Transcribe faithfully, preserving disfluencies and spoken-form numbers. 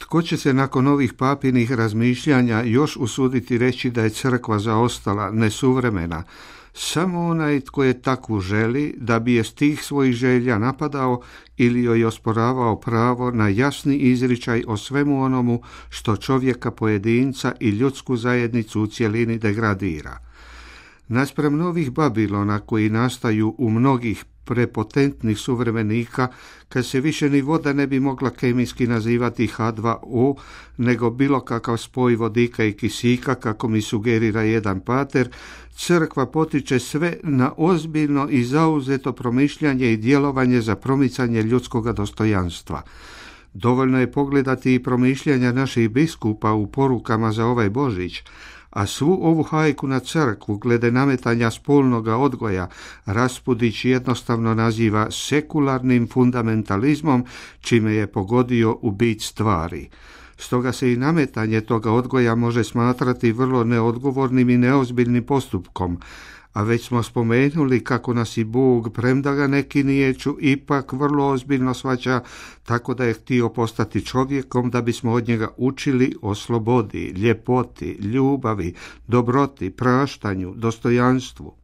Tko će se nakon ovih papinih razmišljanja još usuditi reći da je crkva zaostala, nesuvremena? Samo onaj tko je takvu želi, da bi je stih svojih želja napadao ili joj osporavao pravo na jasni izričaj o svemu onomu što čovjeka pojedinca i ljudsku zajednicu u cjelini degradira. Naspram novih Babilona koji nastaju u mnogih prepotentnih suvremenika, kad se više ni voda ne bi mogla kemijski nazivati H dva O, nego bilo kakav spoj vodika i kisika, kako mi sugerira jedan pater, crkva potiče sve na ozbiljno i zauzeto promišljanje i djelovanje za promicanje ljudskog dostojanstva. Dovoljno je pogledati i promišljanja naših biskupa u porukama za ovaj Božić, a svu ovu hajku na crkvu glede nametanja spolnoga odgoja Raspudić jednostavno naziva sekularnim fundamentalizmom, čime je pogodio u bit stvari. Stoga se i nametanje toga odgoja može smatrati vrlo neodgovornim i neozbiljnim postupkom, a već smo spomenuli kako nas i Bog, premda ga neki niječu, ipak vrlo ozbiljno shvaća, tako da je htio postati čovjekom da bismo od njega učili o slobodi, ljepoti, ljubavi, dobroti, praštanju, dostojanstvu.